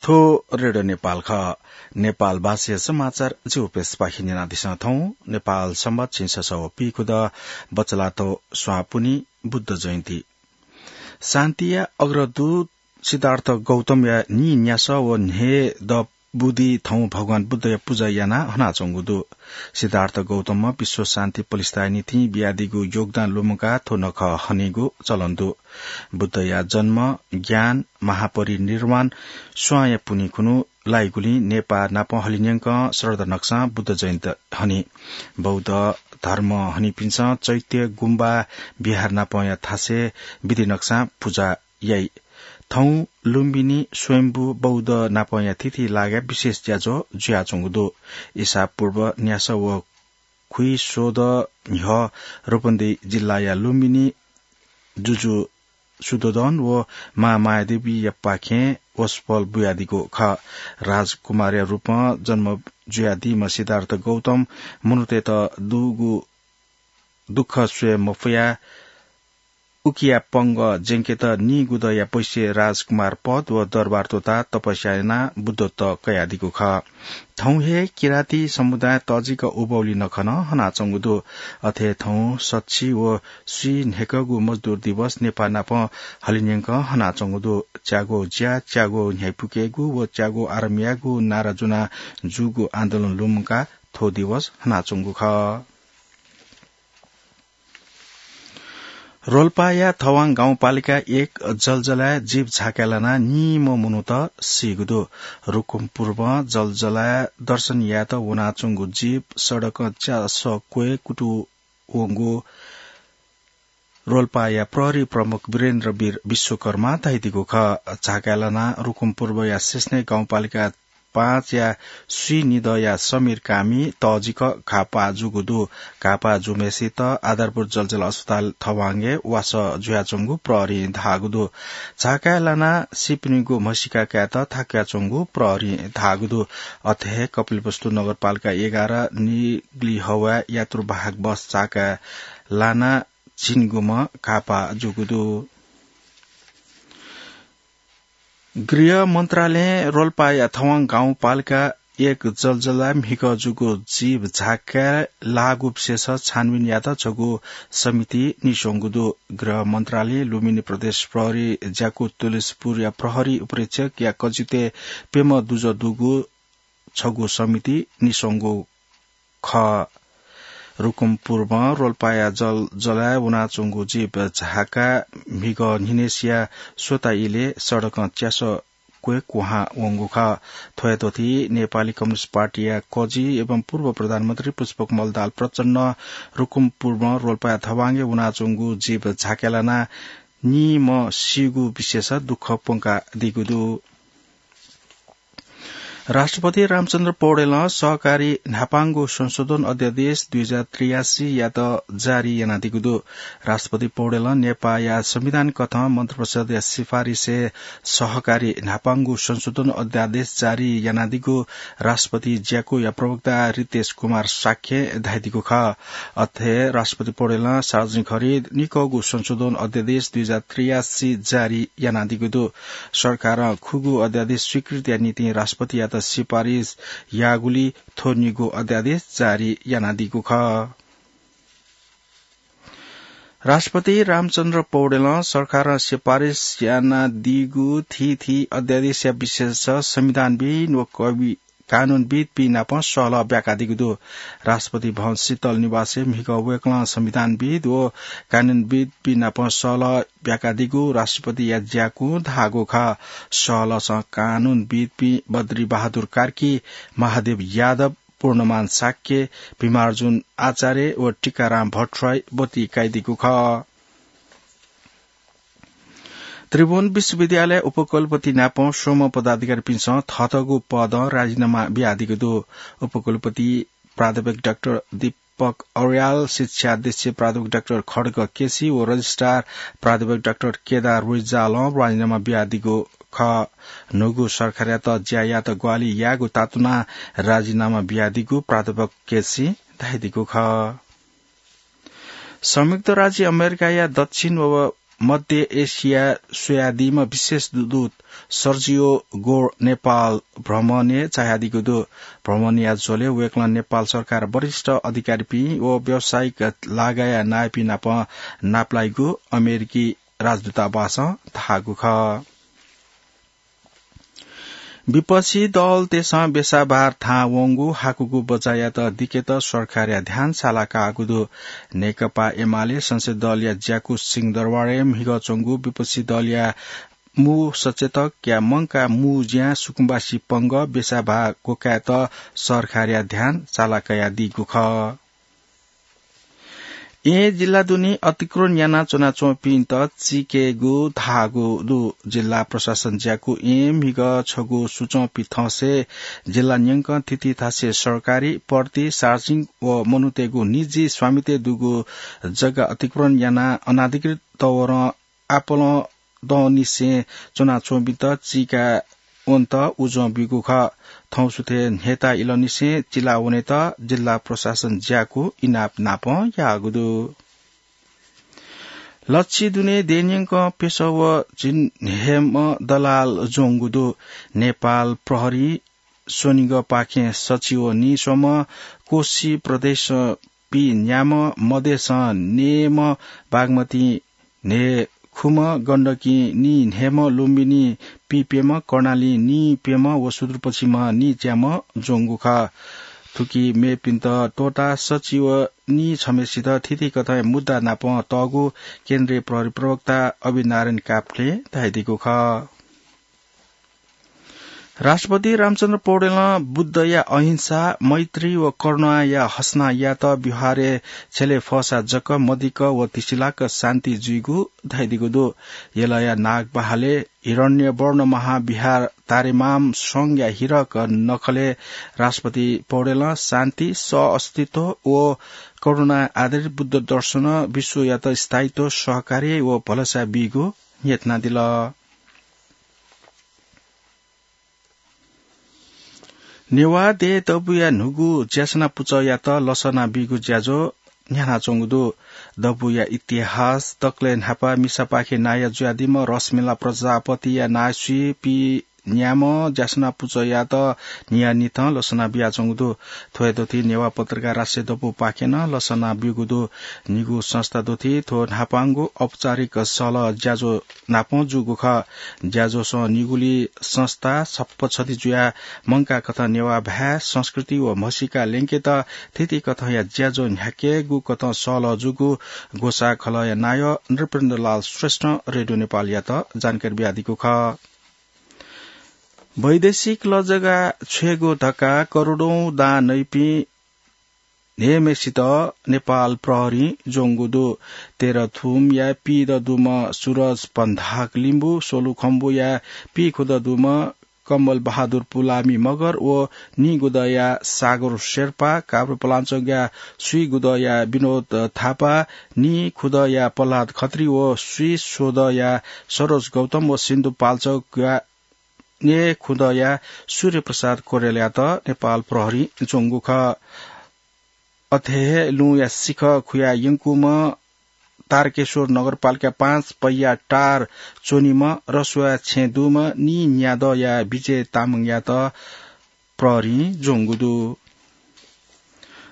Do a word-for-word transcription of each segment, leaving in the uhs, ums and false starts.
थ्व रेडियो नेपाल खः। नेपाल भाषाया समाचार जिगु प्रेसपाखें न्यनादिसँ। थौं नेपाल संवत् झिंछसः व पीखुदँ बचलातो स्वां पुन्हि बुद्ध जयन्ती। शान्तिया अग्रदूत सिद्धार्थ गौतमया नीन्यासः व न्हय्दँ बुदिं थौं भगवान बुद्धया पुजा यानाः हनाच्वंगु दु। सिद्धार्थ गौतमं विश्व शान्ति प्रतिष्ठाया निंतिं बियादीगु योगदान लुमंकाः थ्व नखः हनीगु चलन दु। बुद्धया जन्म, ज्ञान, महापरिनिर्वाण स्वांया पुन्हि खुन्हु लाइगुलिं नेपाः नापं हलिंन्यंकं श्रद्धा नकसां बुद्ध जयन्ती हनी। बौद्ध धर्म हनीपिन्सं चैत्य गुम्बा विहार नापंया थासय् विधि नकसां पुजा याइ। थौं लुम्बिनी स्वयम्भू बौद्ध नापंया थीथी लागाय् विशेष ज्याझ्वः जुयाच्वंगु दु। ईसापूर्व न्यासः व खुइस्वदँ न्ह्यः रूपन्देही जिल्लाया लुम्बिनी जुजु शुद्धोदन व मां मायादेवीयापाखें वसपोल बुयादीगु खः। राजकुमारया रूपं जन्म जुयादीम्ह सिद्धार्थ गौतम मनूतय्त दुगु दुःख स्वये मफयाः उकिया पंगः ज्यंकेत नीगुदँया बैश्य राजकुमार पद व दरबार त्वःताः तपस्या यानाः बुद्धत्व कयादीगु खः। थौं हे किराती समुदाय तःजिक उभौली नखः नं हनाच्वंगु दु। अथे थौं सछि व स्वीन्हय्कःगु मजदुर दिवस नेपाः नापं हलिंन्यंकं हनाच्वंगु दु। च्यागू ज्या, च्यागू न्ह्याइपुकेगु व च्यागू आराम यायेगु नारा ज्वनाः जूगु आन्दोलन लुमंकाः थ्व दिवस हनाच्वंगु खः। रोल्पाया थवाङ गाउँपालिका एक जलजलाय् जीप झाकाय् लानाः निम्ह मनूत सीगु दु। रुकुमपूर्वं जलजलाय् दर्शन यायेत वनाच्वंगु जीप सडकं च्यासः क्वय् कुतुं वंगु रोल्पाया प्रहरी प्रमुख वीरेन्द्र वीर विश्वकर्मां धयादीगु खः। झाकाय् लानाः रुकुमपूर्वया सेस्ने गाउँपालिका पाँचया स्वीनिदँया समीर कामी तःजिक घाःपाः जूगु दु। घाःपाः जूम्हय्सित आधारभूत जलजला अस्पताल थवाङय् वासः जुयाच्वंगु प्रहरीं धाःगु दु। झाकाय् लानाः सीपिनिगु म्हसीका कायेत थाकुयाच्वंगु प्रहरीं धाःगु दु। अथे हे कपिलवस्तु नगरपालिका एघार निग्लिहवाय् यात्रुवाहक बस झाकाय् लानाः झिंनिगूम्ह घाःपाः जूगु दु। गृह मन्त्रालयं रोल्पाया थवाङ गाउँपालिका एक जलजलाय् म्हिगः जूगु जीप झाकाय् लाःगु विषयस छानबिन यायेत छगू समिति निस्वंगु दु। गृह मन्त्रालयं लुम्बिनी प्रदेश प्रहरी ज्याकू तुलसीपुरया प्रहरी उपरीक्षकया कजितय् प्यम्ह दुजः दुगु छगू समिति निस्वंगु खः। रुकुमपूर्वं रोल्पाया जलजलाय् वनाच्वंगु जीप झाकाय् म्हिगः न्हिनय्सिया स्वता इलय् सडकं च्यासः क्वय् कुहां वंगु खः। थ्वयात थी नेपाली कम्युनिस्ट पार्टीया कजि एवं पूर्व प्रधानमन्त्री पुष्पकमल दाहाल प्रचण्डं रुकुमपूर्वं रोल्पाया थवाङय् वनाच्वंगु जीप झाकाय् लानाः निम्ह सीगु विषयस दुःख प्वंकादीगु दु। राष्ट्रपति रामचन्द्र पौडेलं सहकारी न्हापांगु संशोधन अध्यादेश दुई हजार त्रियासी यात जारी यानादीगु दु। राष्ट्रपति पौडेलं नेपाःया संविधान कथं मन्त्रिपरिषदया सिफारिसय् सहकारी न्हापांगु संशोधन अध्यादेश जारी यानादीगु राष्ट्रपति ज्याकूया प्रवक्ता रितेश कुमार शाक्यं धयादीगु खः। अथे राष्ट्रपति पौडेलं सार्वजनिक खरिद निकःगु संशोधन अध्यादेश दुई हजार त्रियासी जारी यानादीगु दु। सरकारं खुगू अध्यादेश स्वीकृतिया निंतिं राष्ट्रपतियात सिफारिस याःगुलिं थ्व निगू अध्यादेश जारी यानादीगु खः। राष्ट्रपति रामचन्द्र पौडेलं सरकारं सिफारिस यानादीगु थीथी अध्यादेशया विषयस संविधानविद् व कवि कानूनविद्पिं नाप सहलह ब्याकादीगु दु। राष्ट्रपति भवन शीतल निवासय् म्हिगः वय्कलं संविधानविद् व कानूनविद्पिं नाप सहलह ब्याकादीगु राष्ट्रपतिया ज्याकूं धाःगु खः। सहलहसं कानूनविद्पिं बद्री बहादुर कार्की, महादेव यादव, पूर्णमान शाक्य, भीमार्जुन आचार्य व टीकाराम भट्टराई ब्वति काइदीगु खः। त्रिभुवन विश्वविद्यालय उपकुलपति नाप स्वम्ह पदाधिकारीपिन्सं थःथःगु पदं राजिनामा बियादीगु दु। उपकुलपति प्राध्यापक डाक्टर दीपक अर्याल, शिक्षाध्यक्ष प्राध्यापक डाक्टर खड्ग केसी व रजिस्ट्रार प्राध्यापक डाक्टर केदार रिजालं राजिनामा बियादीगु खः। न्हूगु सरकारयात ज्या यायेत ग्वाहालि यायेगु तातुनाः राजिनामा बियादीगु प्राध्यापक केसीं धयादीगु खः। संयुक्त राज्य अमेरिकाया दक्षिण व मध्य एसिया स्वयादीम्ह विशेष दूत सर्जियो गोर नेपाल भ्रमणय् झायादीगु दु। भ्रमणया झ्वलय् वय्कलं नेपाल सरकार वरिष्ठ अधिकारीपिं व व्यावसायिक लागाया नायःपिं नाप नापलाइगु अमेरिकी राजदूतावासं धाःगु खः। विपक्षी दलतय्सं बेसाभार थाहां वंगु हाकुगु बजायात दिकेत सरकारया ध्यान साला काःगु दु। नेकपा एमाले संसदीय दलया ज्याकू सिंहदरबारय् म्हिगः च्वंगु विपक्षी दलया मू सचेतकया मंकाः मू ज्यां सुकुम्बासी पंगः बेसाभार क्वकायेत सरकारया ध्यान साला कयादीगु खः। येँ जिल्ला दुने अतिक्रमण याना च्वनाच्वंपिन्त चीकेगु धाःगु दु। जिल्ला प्रशासन ज्याकू येँ म्हिगः छगू सुचंपी थंसे जिल्ला न्यंकं थीथी थासय् सरकारी, पर्ति, सार्वजनिक व मनूतय्गु निजी स्वामित्वय् दुगु जग्गा अतिक्रमण याना अनाधिकृत तवरं आपालं दंनिसें च्वनाच्वंपिन्त चीका वनेत उजं ब्यूगु खः। थौंसुथय् न्हय्ता इलंनिसें चिला वनेत जिल्ला प्रशासन ज्याकू इनाप नापं याःगु दु। लच्छि दुने देय्‌न्यंकं प्यसः व झिंन्हय्म्ह दलाल ज्वंगु दु। नेपाल प्रहरी स्वनिगःपाखें सच्छि व नीस्वम्ह, कोशी प्रदेशं पीन्याम्ह, मधेसं नयेम्ह, बागमती न्हय्खुम्ह, गण्डकी नीन्हय्म्ह, लुम्बिनी पीप्यम्ह, कर्णाली नीप्यम्ह व सुदूरपश्चिमं नीच्याम्ह ज्वंगु खः। थुकी मेपिन्त त्वःताः सच्छि व नीछम्हेसित थीथी कथंया मुद्दा नाप तःगु केन्द्रीय प्रहरी प्रवक्ता अभिनारायण काफ्लें धयादीगु खः। राष्ट्रपति रामचन्द्र पौडेलं बुद्धया अहिंसा, मैत्री व करुणाया हसना यात व्यवहारय् छ्यले फःसा जक मदिक्क व धिसिलाक शान्ति जुइगु धयादीगु दु। यलया नागबहालय् हिरण्यवर्ण महाविहार तारेमाम संघया हिरक नखलय् राष्ट्रपति पौडेलं शान्ति, सह-अस्तित्व व करुणा आधारित बुद्ध दर्शन विश्वयात स्थायित्व, सहकार्य व भलसा बीगु न्ह्यथनादिल। नेवाः देय् दबूया न्हूगु ज्यासना पुचःयात लसना बीगु ज्याझ्वः न्ह्यानाच्वंगु दु। दबूया इतिहास दकलय् न्हापा मिसापाखे नायः जुयादीम्ह रसमेला प्रजापतिया नायःसुइ पीन्याम्ह ज्यासना पुचःयात न्हियान्हिथं लसना बियाच्वंगु दु। थ्व हे दथुइ नेवाः पत्रकार राष्ट्रिय दबूपाखें नं लसना ब्यूगु दु। निगू संस्था दथुइ थ्व न्हापांगु औपचारिक सहलह ज्याझ्वः नापं जूगु खः। ज्याझ्वःसं निगुली संस्था छप्पछति जुयाः मंकाः कथं नेवाः भाय्, संस्कृति व म्हसीका ल्यंकेत थीथी कथंया ज्याझ्वः न्ह्याकेगु कथं सहलह जूगु ग्वसाः खलःया नायः नृपेन्द्रलाल श्रेष्ठं रेडियो नेपालयात जानकारी बियादीगु खः। वैदेशिक लजगाः छ्वयेगु धकाः करोडौं दां नइपिं न्हय्म्हेसित नेपाल प्रहरीं ज्वंगु दु। तेह्रथुमया पीदँ दुम्ह सुरज पन्धाक लिम्बू, सोलुखम्बुया पीखुदँ दुम्ह कमल बहादुर पुलामी मगर व नीगुदँया सागर शेर्पा, काभ्रेपलाञ्चोकया स्वीगुदँया विनोद थापा, नीखुदँया प्रह्लाद खत्री व स्वीस्वदँया सरोज गौतम व सिन्धुपाल्चोकया न्येखुदँया सूर्यप्रसाद कोरेलयात नेपाल प्रहरीं ज्वंगु खः। अथे हे लुँया सिखः खुया यंकूम्ह तारकेश्वर नगरपालिका पाँच पैया टार च्वनीम्ह रसुवा छेँ दुम्ह नीन्यादँया विजय तामाङयात प्रहरीं ज्वंगु दु।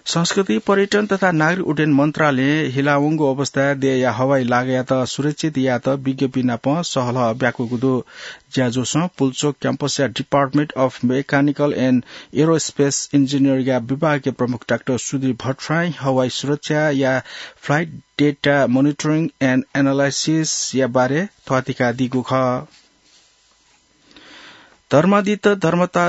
संस्कृति, पर्यटन तथा नागरिक उड्डयन मन्त्रालयं हिलावंगु अवस्थाय् देय्‌या हवाई लागायात सुरक्षित यायेत विज्ञपिं नाप सहलह ब्याकूगु दु। ज्याझ्वःसं पुल्चोक क्याम्पसया Department of Mechanical and Aerospace Engineering या विभागीय प्रमुख डाक्टर सुधीर भट्टराईं हवाई सुरक्षाया flight data monitoring and analysis या बारे थ्वातिकादीगु खः। धर्मादित्य धर्मता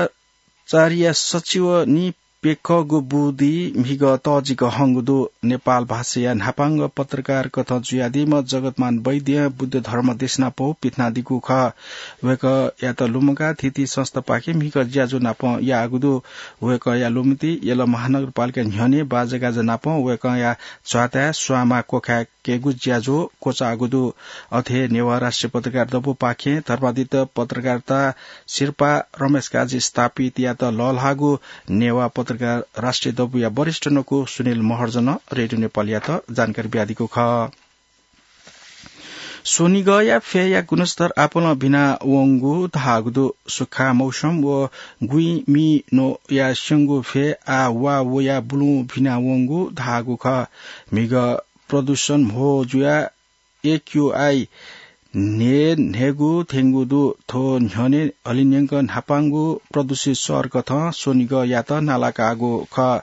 चार्य सचिव नीप्यकःगु बुँदि म्हिगः तःजिक हंगु दु। नेपाल भाषाया न्हापांगु पत्रकार कथं जुयादीम्ह जगतमान वैद्यं बुद्ध धर्म देशना पौ पिथनादीगु खः। वय्‌कःयात लुमंकाः थीथी संस्थापाखें म्हिगः ज्याझ्वः नाप याःगु दु। वय्‌कःया लुमन्ति यल महानगरपालिका न्ह्यःने बाजागाजा नाप वय्‌कःया च्वाताय् स्वांमा क्वखाय् केगु ज्याझ्वः क्वचाःगु दु। अथे हे नेवाः राष्ट्रिय पत्रकार दबूपाखें धर्मादित्य पत्रकारिता सिरपाः रमेश काजी स्थापितयात लःल्हाःगु नेवाः पत्रकार राष्ट्रिय दबूया वरिष्ठ नकु सुनिल महर्जनं रेडियो नेपालयात जानकारी बियादीगु खः। स्वनिगःया फय्‌या गुणस्तर आपालं भिना वंगु धाःगु दु। सुखा मौसम व गुइँ मि नोया स्यंगु फय् आ वा वया बुलुं भिना वंगु धाःगु खः। म्हिगः प्रदूषण म्हो जुया एक्यूआई न्हे न्हेगु थ्यंगु दु। थ्व न्ह्यःने हलिंन्यंक न्हापांगु प्रदूषित शहर कथं स्वनिगःयात नालाकाःगु खः।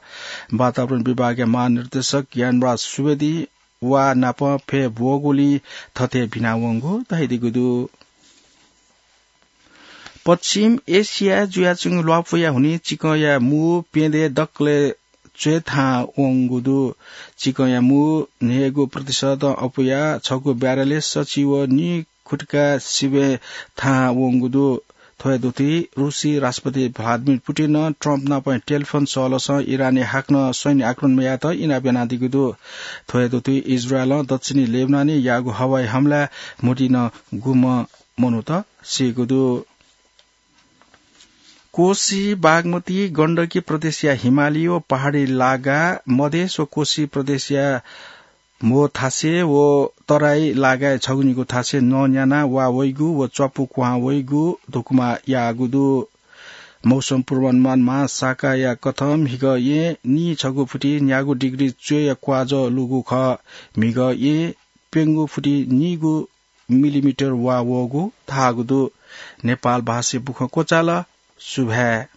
वातावरण विभागया महानिर्देशक ज्ञानराज सुवेदी वा नाप फय् ब्वःगुलिं थथे भिना वंगु धयादीगु दु। पश्चिम एसियाय् जुयाच्वंगु ल्वापुया हुनिं चिकंया मू प्यदँय् दकलय् च्वय् थाहां वंगु दु। चिकंया मू न्हय्‌गू प्रतिशतं अपुया छगू ब्यारेलय् सछि व नीखुट्का सिबें थाहां वंगु दु। थ्व हे दुथुइ रुसी राष्ट्रपति भ्लादिमिर पुटिनं ट्रम्प नाप टेलिफोन सहलसं इरानय् हाकनं सैन्य आक्रमण यायेत इनाप यानादीगु दु। थ्व हे दुथुइ इजरायलं दक्षिणी लेबनानय् याःगु हवाई हमलाय् म्हुतुइ नं गुम्ह मनूत सीगु दु। कोशी, बागमती, गण्डकी प्रदेशया हिमाली व पहाडी लागा, मधेस व कोशी प्रदेशया म्हो थासय् व तराई लागाय् छगू निगू थासय् नँ न्याना वा वइगु व च्वापु क्वहां वइगु धुकुमा याःगु दु। मौसम पूर्वानुमान महाशाखाया कथं म्हिगः येँ नीछगू फुति न्यागू डिग्री च्वय्‌या क्वाजः लूगु खः। म्हिगः येँ प्यंगू फुति नीगू मिलिमिटर वा वःगु धाःगु दु। नेपाल भाषाय् बुखँ क्वचाल। सुभाय्।